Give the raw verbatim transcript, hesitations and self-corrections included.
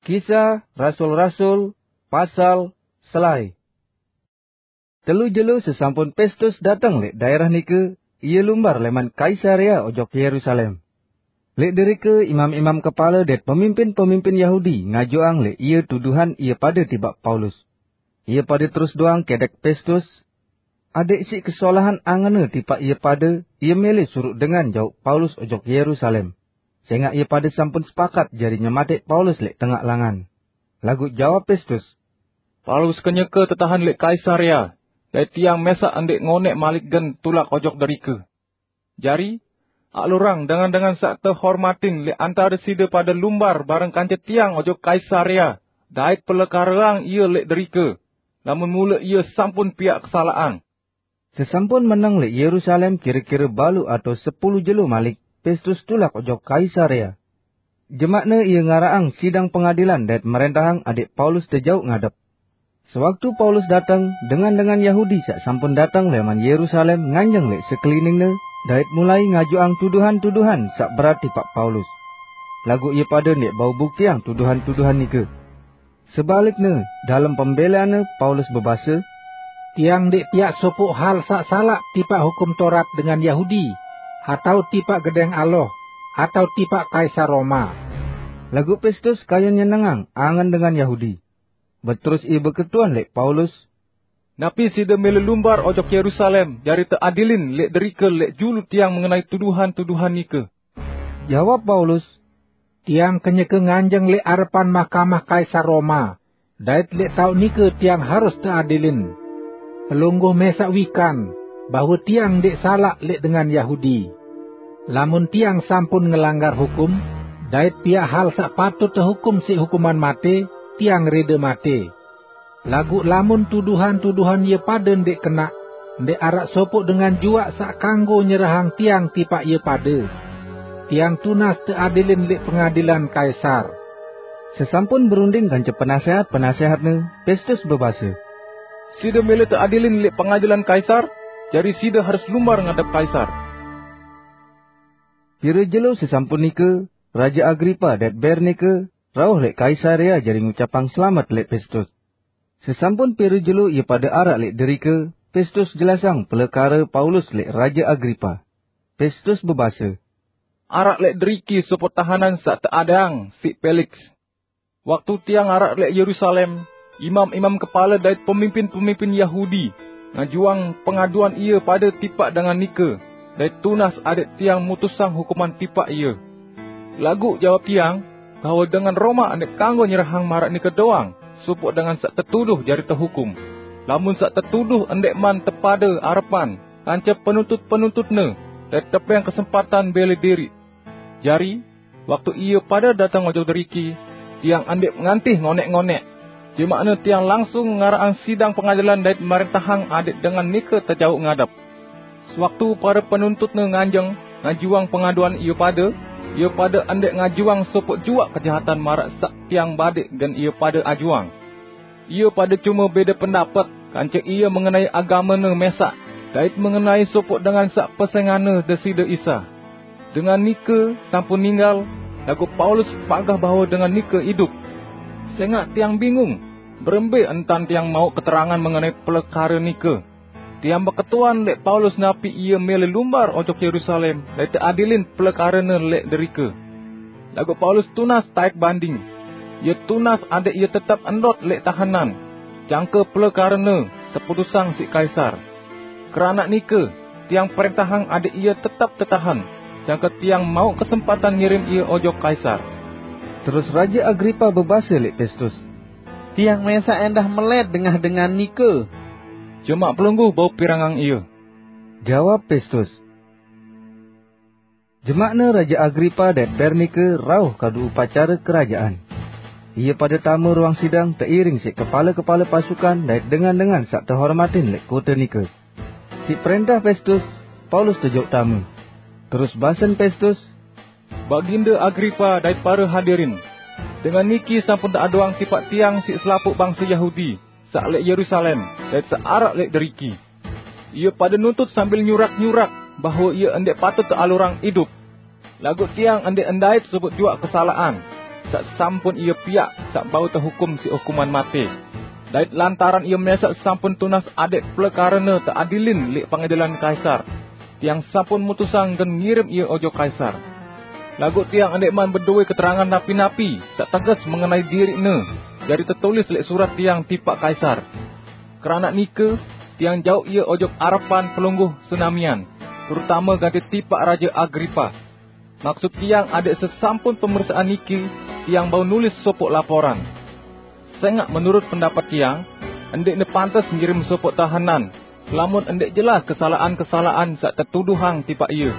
Kisah Rasul-Rasul, pasal selae. Telu jelo sesampun Pestus dateng lek daerah nike, ia lumbar leman Kaisarea ojok Yerusalem. Lek derike imam-imam kepala dait pemimpin-pemimpin Yahudi ngajuang lek ia tuduhan ia pada tibak Paulus. Ia pada terus doang kedek Pestus, adik sik kesolahan angene tipak ia pada, ia mele suruh dengan jauh Paulus ojok Yerusalem. Sengak ia pada sampun sepakat jari nyematik Paulus lek tengak langan. Lagu jawab Pestus, "Paulus kenyeke tetahan lek Kaisarea, dait tiang mesak ndek ngonek malik gen tulak ojok derike. Jari, alurang dengan-dengan sak tehormatin lek antara side pada lumbar bareng kance tiang ojok Kaisarea, dait pelekareang ia lek derike, lamun mule ia sampun piak kesalahan." Sesampun meneng lek Yerusalem kira-kira balu atau sepuluh jelo malik, Pestus tulak ojok Kaisarea. Jemakne ia ngaraang sidang pengadilan dait merentahang adik Paulus tejauh ngadep. Sewaktu Paulus dateng, dengan-dengan Yahudi sak sampun dateng leman Yerusalem nganjeng lek sekeliningne, dait mulai ngajuang tuduhan-tuduhan sak berat tipak Paulus. Lagu ia pada ndek bau buktiang tuduhan-tuduhan nike. Sebalikne, dalem pembeleanne Paulus bebase, "Tiang ndek piak sopok hal sak salak tipak hukum Torat dengan Yahudi, atau tipak gedeng Allah, atau tipak Kaisar Roma." Lagu Pestus kayun nyenengang angen dengan Yahudi. Beterus ia beketuan lek Paulus, "Napi side mele lumbar ojok Yerusalem jari teadilin lek derike lek julu tiang mengenai tuduhan-tuduhan nike?" Jawab Paulus, "Tiang kenyeke nganjeng lek arepan mahkamah Kaisar Roma, dait lek tauk nike tiang harus teadilin. Pelungguh mesak wikan bahwa tiang ndek salak lek dengan Yahudi. Lamun tiang sampun ngelanggar hukum, dait piak hal sak patut tehukum sik hukuman mate, tiang rede mate. Lagu lamun tuduhan-tuduhan ia pada ndek kenak, ndek arak sopok dengan juak sak kanggo nyerahang tiang tipak ia pada, tiang tunas teadilin lek pengadilan Kaisar." Sesampun berunding kance penasehat-penasehatne, Pestus bebase, "Side mele teadilin lek pengadilan Kaisar, jari side harus lumbar ngadep Kaisar." Pira jelo sesampun nike, Raja Agripa dait Bernike rauh lek Kaisarea jari ngucapang selamet lek Pestus. Sesampun pira jelo ia pada arak lek derike, Pestus jelasang pelekara Paulus lek Raja Agripa. Pestus bebase, "Arak lek deriki sopok tahanan sak teadang sik Peliks. Waktu tiang arak lek Yerusalem, imam-imam kepala dait pemimpin-pemimpin Yahudi ngajuang pengaduan ia pada tipak dengan nike, dait tunas adik tiang mutusang hukuman tipak ia. Lagu jawab tiang, bahwa dengan Roma ndek kanggo nyerahang marak nike doang, sopok dengan sak tetuduh jari tehukum. Lamun sak tetuduh ndek man tepada arepan kance penuntut-penuntutne, dait tepeng kesempatan bele diri. Jari, waktu ia pada dateng ojok deriki, tiang ndek ngantih ngonek-ngonek. Jemakne tiang langsung ngaraang sidang pengadilan dait merentahang adik dengan nike tejauh ngadep. Sewaktu para penuntutne nganjeng ngajuang pengaduan ia pada, ia pada ndek ngajuang sopok juak kejahatan marak sak tiang badik gen ia pada ajuang. Ia pada cuma beda pendapet kance ia mengenai agamene mesak, dait mengenai sopok dengan sak pesenganne Deside Isa. Dengan nike sampun ninggal, lagu Paulus pagah bahwa dengan nike idup. Sengak tiang bingung, berembe entan tiang mau keterangan mengenai pelekara nike. Tiang beketuan lek Paulus napi ia mele lumbar ojok Yerusalem dait teadilin pelekarene lek derike. Lagu Paulus tunas taek banding. Ia tunas adik ia tetep endot lek tahanan, jangke pelekarene teputusang sik Kaisar. Keranak nike, tiang perentahang adik ia tetep tetahan, jangke tiang mau kesempatan ngirim ia ojok Kaisar." Terus Raja Agripa bebase lek Pestus, "Tiang mesak endah melet dengah dengan nike." "Jemak pelungguh bau pirangang ia," jawab Pestus. Jemakne Raja Agripa dait Bernike rauh kadu upacara kerajaan. Ia pada tama ruang sidang teiring sik kepala-kepala pasukan dait dengan-dengan sak tehormatin lek kota nike. Sik perentah Pestus, Paulus tejauh tama. Terus basen Pestus, "Baginda Agripa dait para hadirin, dengan niki sampun teaduang tipak tiang sik selapuk bangsa Yahudi sak lek Yerusalem dait sak arak lek deriki. Ia pada nuntut sambil nyurak-nyurak bahwa ia ndek patut tealurang idup. Lagu tiang ndek ndait sopok juak kesalahan. saq sampun ie piaq saq bau tehukum siq hukuman mate. Dait lantaran ie mesaq sampun tunas adeq plekarene teadilin leq pengadilan Kaisar, tiang sampun mutusang gen ngirim ie ojok Kaisar. Laguq tiang ndeqman bedowe keterangan napi-napi saq teges mengenai diriqne, jari tetulis leq surat tiang tipaq Kaisar. Keranaq nike, tiang jauq ie ojok arepan pelungguh senamian, terutame gati tipaq Raje Agripa. Maksut tiang adeq sesampun pemersaan niki, tiang bau nulis sopoq laporan. Sengaq menurut pendapet tiang, ndeqne pantes ngirim sopoq tahenan, lamun ndeq jelas kesalaqan-kesalaqan saq tetuduhang tipaq ie.